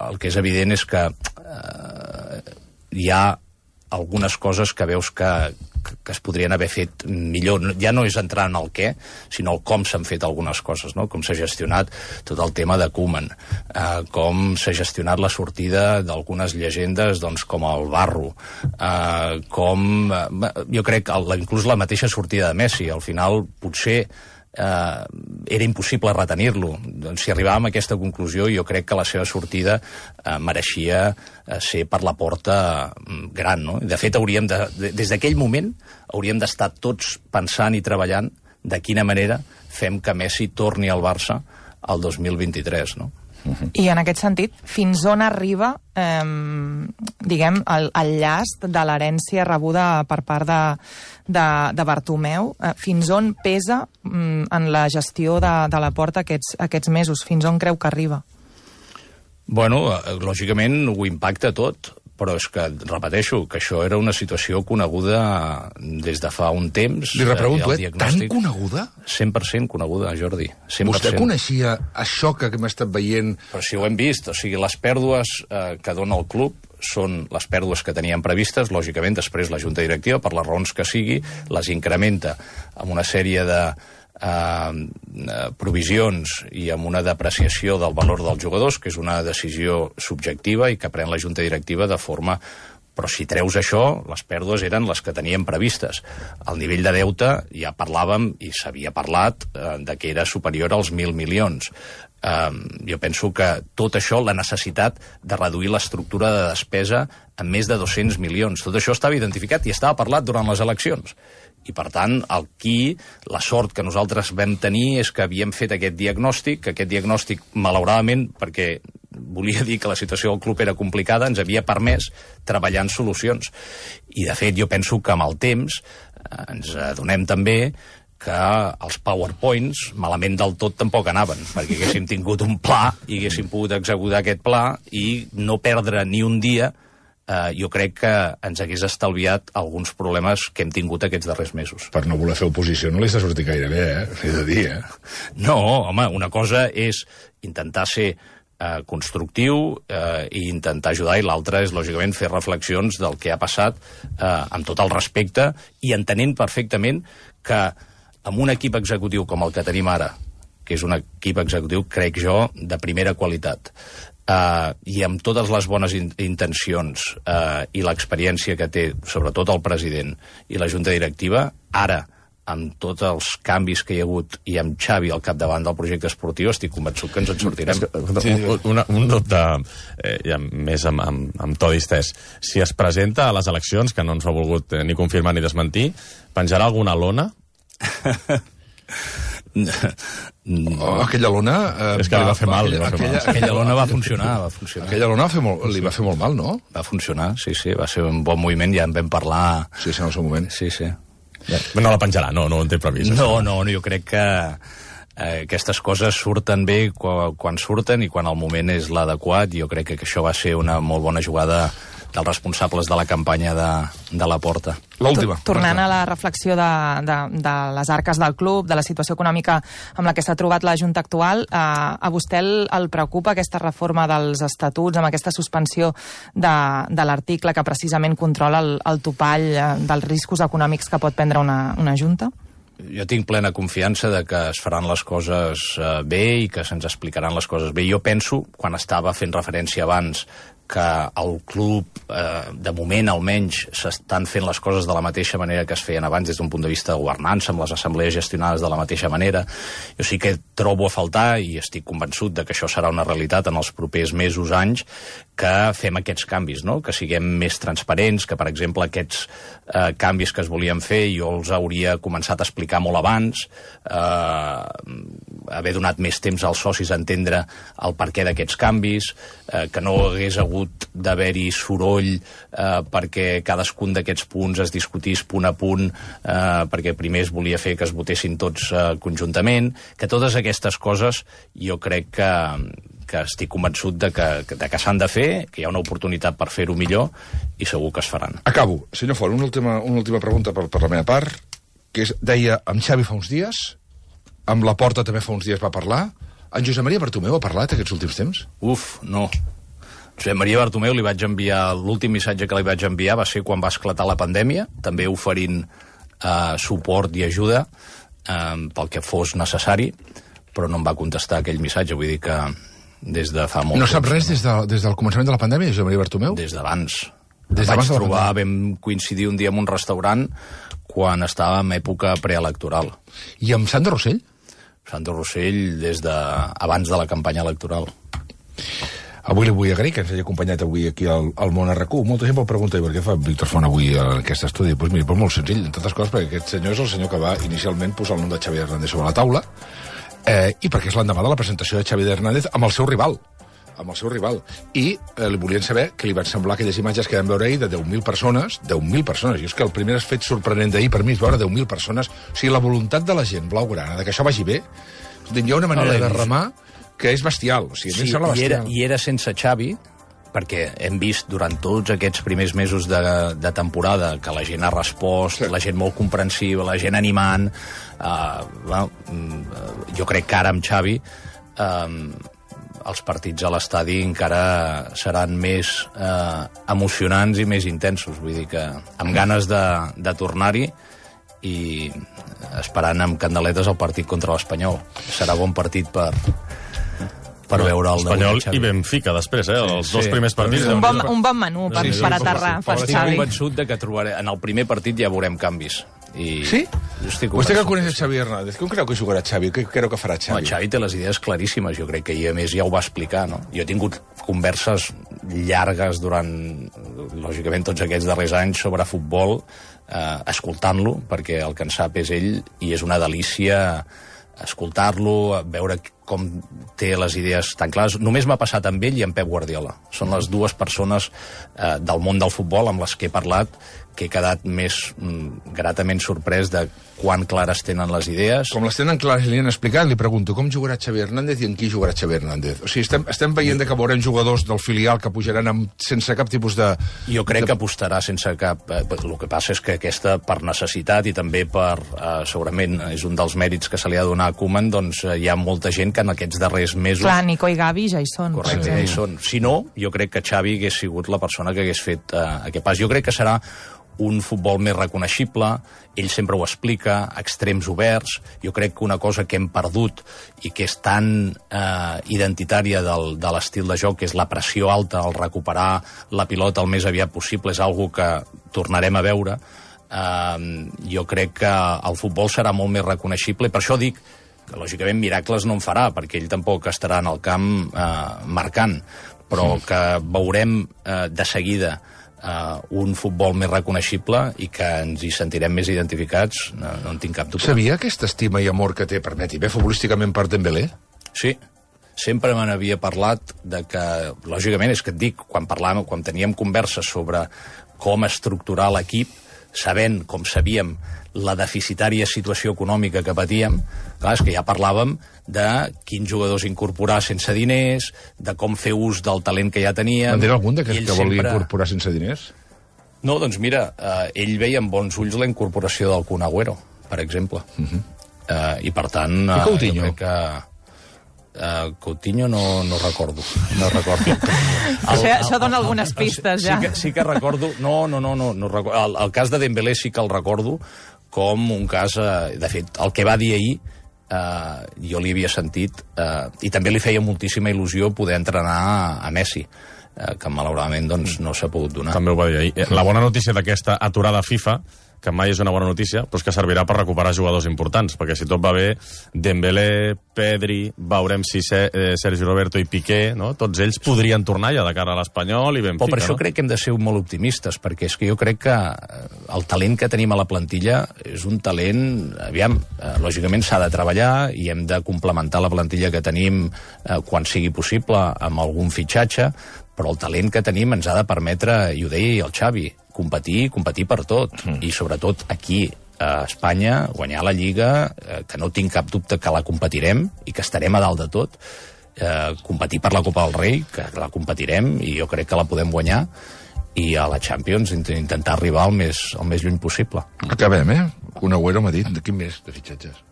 Speaker 2: el que és evident és que eh, hi ha algunes coses que veus que, que es podrien haver fet millor. Ja no és entrar en el què, sinó el com s'han fet algunes coses, no? Com s'ha gestionat tot el tema de Koeman, eh, com s'ha gestionat la sortida d'algunes llegendes, doncs, com el Barro, eh, com... Eh, jo crec que inclús la mateixa sortida de Messi, al final, potser... Uh, era impossible retenir-lo. Doncs, si arribàvem a aquesta conclusió, jo crec que la seva sortida uh, mereixia uh, ser per la porta uh, gran, no? De fet, hauríem de, de, des d'aquell moment hauríem d'estar tots pensant i treballant de quina manera fem que Messi torni al Barça al dos mil vint-i-tres, no?
Speaker 4: I en aquest sentit, fins on arriba, eh, diguem, el, el llast de l'herència rebuda per part de, de, de Bartomeu? Eh, fins on pesa mm, en la gestió de, de la Porta aquests, aquests mesos? Fins on creu que arriba?
Speaker 2: Bueno, lògicament ho impacta tot, però és que, repeteixo, que això era una situació coneguda des de fa un temps.
Speaker 1: Li repregunto, eh? Tan coneguda?
Speaker 2: cent per cent coneguda, Jordi. cent per cent.
Speaker 1: Vostè coneixia això que hem estat veient?
Speaker 2: Però si ho hem vist, o sigui, les pèrdues eh, que dona el club són les pèrdues que teníem previstes, lògicament després la Junta Directiva, per les raons que sigui, les incrementa amb una sèrie de Uh, provisions i amb una depreciació del valor dels jugadors, que és una decisió subjectiva i que pren la Junta Directiva de forma... Però si treus això, les pèrdues eren les que teníem previstes. El nivell de deute ja parlàvem, i s'havia parlat, uh, de que era superior als mil milions. Uh, jo penso que tot això, la necessitat de reduir l'estructura de despesa en més de dos-cents milions, tot això estava identificat i estava parlat durant les eleccions. I, per tant, aquí la sort que nosaltres vam tenir és que havíem fet aquest diagnòstic, que aquest diagnòstic, malauradament, perquè volia dir que la situació del club era complicada, ens havia permès treballar en solucions. I, de fet, jo penso que amb el temps eh, ens adonem també que els PowerPoints malament del tot tampoc anaven, perquè haguéssim tingut un pla i haguéssim pogut executar aquest pla i no perdre ni un dia. Uh, jo crec que ens hagués estalviat alguns problemes que hem tingut aquests darrers mesos.
Speaker 1: Per no voler fer oposició no li està sortit gaire bé, eh? He de dir, eh?
Speaker 2: No, home, una cosa és intentar ser uh, constructiu uh, i intentar ajudar, i l'altra és, lògicament, fer reflexions del que ha passat uh, amb tot el respecte i entenent perfectament que amb un equip executiu com el que tenim ara, que és un equip executiu, crec jo, de primera qualitat, Uh, i amb totes les bones in intencions uh, i l'experiència que té, sobretot el president i la junta directiva, ara, amb tots els canvis que hi ha hagut i amb Xavi al capdavant del projecte esportiu, estic convençut que ens en sortirem.
Speaker 3: Sí. Un, una, un dubte, eh, ja més amb, amb, amb to distès. Si es presenta a les eleccions, que no ens ho ha volgut eh, ni confirmar ni desmentir, penjarà alguna lona?
Speaker 1: Oh, aquella lona... Eh,
Speaker 3: és que li va fer mal.
Speaker 1: Aquella,
Speaker 3: li va fer
Speaker 1: aquella,
Speaker 3: mal.
Speaker 2: Aquella lona va funcionar, va funcionar.
Speaker 1: Aquella lona va fer molt, li va fer molt mal, no?
Speaker 2: Va funcionar, sí, sí, va ser un bon moviment, ja en vam parlar...
Speaker 1: Sí, sí, en el seu moment.
Speaker 2: Sí, sí.
Speaker 3: No la penjarà, no, no ho en té previst.
Speaker 2: No, no, no, jo crec que eh, aquestes coses surten bé quan, quan surten i quan el moment és l'adequat. Jo crec que això va ser una molt bona jugada dels responsables de la campanya de, de la Porta.
Speaker 1: L'última.
Speaker 4: Tornant a la reflexió de, de, de les arques del club, de la situació econòmica amb la que s'ha trobat la Junta actual, eh, a vostè el, el preocupa aquesta reforma dels estatuts, amb aquesta suspensió de, de l'article que precisament controla el, el topall eh, dels riscos econòmics que pot prendre una, una Junta?
Speaker 2: Jo tinc plena confiança de que es faran les coses eh, bé i que se'ns explicaran les coses bé. Jo penso, quan estava fent referència abans, que el club, eh, de moment almenys, s'estan fent les coses de la mateixa manera que es feien abans des d'un punt de vista de governança, amb les assemblees gestionades de la mateixa manera. Jo sí que trobo a faltar, i estic convençut de que això serà una realitat en els propers mesos, anys, que fem aquests canvis, no? Que siguem més transparents, que, per exemple, aquests eh, canvis que es volien fer jo els hauria començat a explicar molt abans, eh, haver donat més temps als socis a entendre el perquè d'aquests canvis, eh, que no hagués hagut d'haver-hi soroll eh, perquè cadascun d'aquests punts es discutís punt a punt, eh, perquè primer es volia fer que es votessin tots eh, conjuntament, que totes aquestes coses jo crec que, que estic convençut de que, de que s'han de fer, que hi ha una oportunitat per fer-ho millor i segur que es faran.
Speaker 1: Acabo. Senyor Font, una última, una última pregunta per, per la meva part, que és, deia, amb Xavi fa uns dies, amb la Porta també fa uns dies va parlar, en Josep Maria Bartomeu ha parlat aquests últims temps?
Speaker 2: Uf, no. Josep Maria Bartomeu li vaig enviar, l'últim missatge que li vaig enviar va ser quan va esclatar la pandèmia, també oferint eh, suport i ajuda eh, pel que fos necessari, però no em va contestar aquell missatge, vull dir que des de fa molt
Speaker 1: No
Speaker 2: temps,
Speaker 1: sap res des, de, des del començament de la pandèmia, Josep Maria Bartomeu?
Speaker 2: Des d'abans.
Speaker 1: Des
Speaker 2: Vaig
Speaker 1: d'abans de la
Speaker 2: trobar,
Speaker 1: pandèmia.
Speaker 2: vam coincidir un dia en un restaurant quan estava en època preelectoral.
Speaker 1: I amb Sandro Rossell?
Speaker 2: Sandro Rossell des de abans de la campanya electoral.
Speaker 1: Avui li vull agrair que ens hagi acompanyat avui aquí al, al Món R Q. Molta gent em pregunta, i per què fa Víctor Font avui en aquest estudi? Doncs pues mira, pues molt senzill, entre altres coses, perquè aquest senyor és el senyor que va inicialment posar el nom de Xavi Hernández sobre la taula, eh, i perquè és l'endemà de la presentació de Xavi Hernández amb el seu rival, amb el seu rival. I eh, li volien saber què li van semblar aquelles imatges que vam veure ahir de deu mil persones, deu mil persones, i és que el primer fet sorprenent d'ahir per mi és veure deu mil persones, o sigui, la voluntat de la gent blaugrana, de que això vagi bé, hi ha una manera de remar que és bestial, o sigui,
Speaker 2: Sí,
Speaker 1: sembla
Speaker 2: i, era,
Speaker 1: bestial.
Speaker 2: i era sense Xavi, perquè hem vist durant tots aquests primers mesos de, de temporada que la gent ha respost,
Speaker 1: Sí.
Speaker 2: la gent molt comprensiva, la gent animant. Uh, well, mm, jo crec que ara amb Xavi um, els partits a l'estadi encara seran més uh, emocionants i més intensos. Vull dir que amb ganes de, de tornar-hi i esperant amb candeletes el partit contra l'Espanyol. Serà bon partit per... per veure el
Speaker 3: Espanyol
Speaker 2: Xavi.
Speaker 3: i Benfica després, eh? Els
Speaker 2: Sí,
Speaker 3: dos
Speaker 2: sí.
Speaker 3: primers partits.
Speaker 4: Un bon, un bon menú per,
Speaker 3: Sí, sí,
Speaker 4: per
Speaker 3: sí,
Speaker 4: aterrar,
Speaker 3: sí, sí.
Speaker 4: per
Speaker 2: Estic
Speaker 4: Xavi.
Speaker 2: convençut de que trobaré... En el primer partit ja veurem canvis. I
Speaker 1: Sí?
Speaker 2: Jo estic
Speaker 1: Vostè que
Speaker 2: convençut.
Speaker 1: coneix Xavi Hernández, com creu que jugarà Xavi? Què creu que farà
Speaker 2: Home,
Speaker 1: Xavi?
Speaker 2: Xavi té les idees claríssimes, jo crec que i a més ja ho va explicar, no? Jo he tingut converses llargues durant, lògicament, tots aquests darrers anys sobre futbol, eh, escoltant-lo, perquè el que en sap és ell, i és una delícia escoltar-lo, veure com té les idees tan clares. Només m'ha passat amb ell i amb Pep Guardiola. Són les dues persones eh, del món del futbol amb les que he parlat que he quedat més mm, gratament sorprès de quan clares tenen les idees.
Speaker 1: Com les tenen clares i li han explicat, li pregunto com jugarà Xavi Hernández i en qui jugarà Xavi Hernández. O sigui, estem, estem veient que veurem jugadors del filial que pujaran amb, sense cap tipus de...
Speaker 2: Jo crec
Speaker 1: de...
Speaker 2: que apostarà sense cap... Eh, el que passa és que aquesta, per necessitat i també per, eh, segurament, és un dels mèrits que se li ha de donar a Koeman, doncs eh, hi ha molta gent que en aquests darrers mesos...
Speaker 4: Clar, Nico i Gavi ja hi són.
Speaker 2: Correcte, ja hi són. Si no, jo crec que Xavi hagués sigut la persona que hagués fet eh, aquest pas. Jo crec que serà un futbol més reconeixible, ell sempre ho explica, extrems oberts. Jo crec que una cosa que hem perdut i que és tan eh, identitària del, de l'estil de joc, que és la pressió alta, el recuperar la pilota el més aviat possible, és algo que tornarem a veure. Eh, jo crec que el futbol serà molt més reconeixible, i per això dic que, lògicament, miracles no en farà, perquè ell tampoc estarà en el camp eh, marcant, però sí. que veurem eh, de seguida Uh, un futbol més reconeixible i que ens hi sentirem més identificats, no, no en tinc cap dubte.
Speaker 1: Sabia aquesta estima i amor que té, permeti, bé futbolísticament per Dembélé?
Speaker 2: Sí, sempre me n'havia parlat de que, lògicament, és que et dic, quan parlàvem, quan teníem converses sobre com estructurar l'equip, sabent, com sabíem, la deficitària situació econòmica que patíem, clar, és que ja parlàvem de quins jugadors incorporar sense diners, de com fer ús del talent que ja teníem...
Speaker 1: En tenen algun d'aquests que volia
Speaker 2: sempre...
Speaker 1: incorporar sense diners?
Speaker 2: No, doncs mira, eh, ell veia amb bons ulls la incorporació del Kun Agüero, per exemple. Uh -huh. eh, I per tant...
Speaker 1: I Coutinho?
Speaker 2: Jo crec que... Uh, Coutinho no, no recordo, no recordo.
Speaker 4: El, això, el, això dona el, algunes el, pistes,
Speaker 2: sí,
Speaker 4: ja.
Speaker 2: Sí que, sí que recordo... No, no, no, no, no recordo. El, el cas de Dembélé sí que el recordo com un cas... Eh, de fet, el que va dir ahir, eh, jo li havia sentit, eh, i també li feia moltíssima il·lusió poder entrenar a, a Messi, eh, que malauradament doncs, no s'ha pogut donar.
Speaker 3: També ho va dir ahir. La bona notícia d'aquesta aturada FIFA, que mai és una bona notícia, però és que servirà per recuperar jugadors importants, perquè si tot va bé, Dembélé, Pedri, veurem si eh, Sergi Roberto i Piqué, no? Tots ells podrien tornar ja de cara a l'Espanyol i Benfica,
Speaker 2: però per això
Speaker 3: no?
Speaker 2: crec que hem de ser molt optimistes, perquè és que jo crec que el talent que tenim a la plantilla és un talent, aviam, eh, lògicament s'ha de treballar i hem de complementar la plantilla que tenim eh, quan sigui possible amb algun fitxatge, però el talent que tenim ens ha de permetre, i ho deia el Xavi, competir, competir per tot, mm. i sobretot aquí, a Espanya, guanyar la Lliga, eh, que no tinc cap dubte que la competirem i que estarem a dalt de tot, eh, competir per la Copa del Rei, que la competirem i jo crec que la podem guanyar, i a la Champions intentar arribar el més, el més lluny possible.
Speaker 1: Acabem, eh? Un Agüero m'ha dit, de quin mes de fitxatges?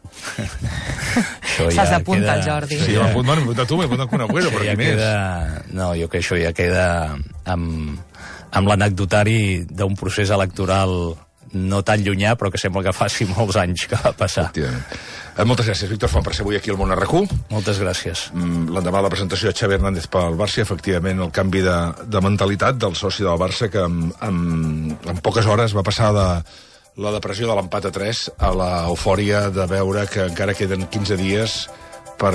Speaker 4: S'has d'apuntar, queda... Jordi.
Speaker 1: Sí, ja... m'he apuntat tu, m'he apuntat un Agüero, però
Speaker 2: ja
Speaker 1: quin mes?
Speaker 2: Queda... No, jo que això ja queda amb, amb l'anecdotari d'un procés electoral no tan llunyà, però que sembla que faci molts anys que va passar.
Speaker 1: Eh, moltes gràcies, Víctor Font, per ser avui aquí al Món R Q.
Speaker 2: Moltes gràcies.
Speaker 1: Mm, l'endemà de la presentació de Xavi Hernández pel Barça, efectivament, el canvi de, de mentalitat del soci del Barça, que en, en, en poques hores va passar de la depressió de l'empat a tres a l'eufòria de veure que encara queden quinze dies per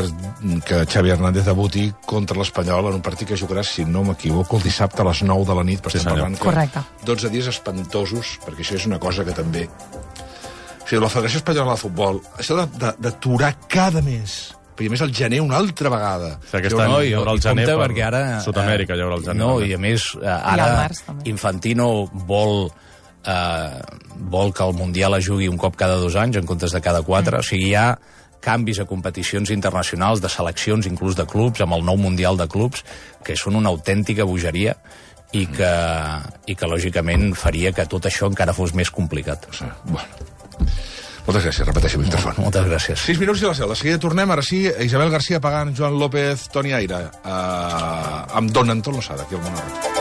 Speaker 1: que Xavi Hernández debuti contra l'Espanyol en un partit que jugarà, si no m'equivoco, el dissabte a les nou de la nit, però
Speaker 3: sí,
Speaker 1: estem parlant
Speaker 4: Correcte.
Speaker 1: dotze dies espantosos, perquè això és una cosa que també... O sigui, la Federació Espanyola de Futbol, això d'aturar cada mes, perquè a més el gener una altra vegada.
Speaker 3: O sigui, aquest any
Speaker 2: no,
Speaker 3: hi haurà el gener per
Speaker 2: perquè ara,
Speaker 3: Sud-amèrica, hi haurà el gener.
Speaker 2: No, i a més, ara
Speaker 4: març,
Speaker 2: Infantino vol, eh, vol que el Mundial es jugui un cop cada dos anys en comptes de cada quatre, mm. o sigui, hi ha canvis a competicions internacionals, de seleccions, inclús de clubs, amb el nou Mundial de clubs, que són una autèntica bogeria i que, i que lògicament faria que tot això encara fos més complicat.
Speaker 1: Sí, bueno. Moltes gràcies, repeteixo, Víctor Font.
Speaker 2: Moltes gràcies.
Speaker 1: Sis minuts i la seu. De seguida tornem, ara sí, Isabel García Pagant, Joan López, Toni Aire, eh, amb Don Anton Losada, aquí al Món R Q.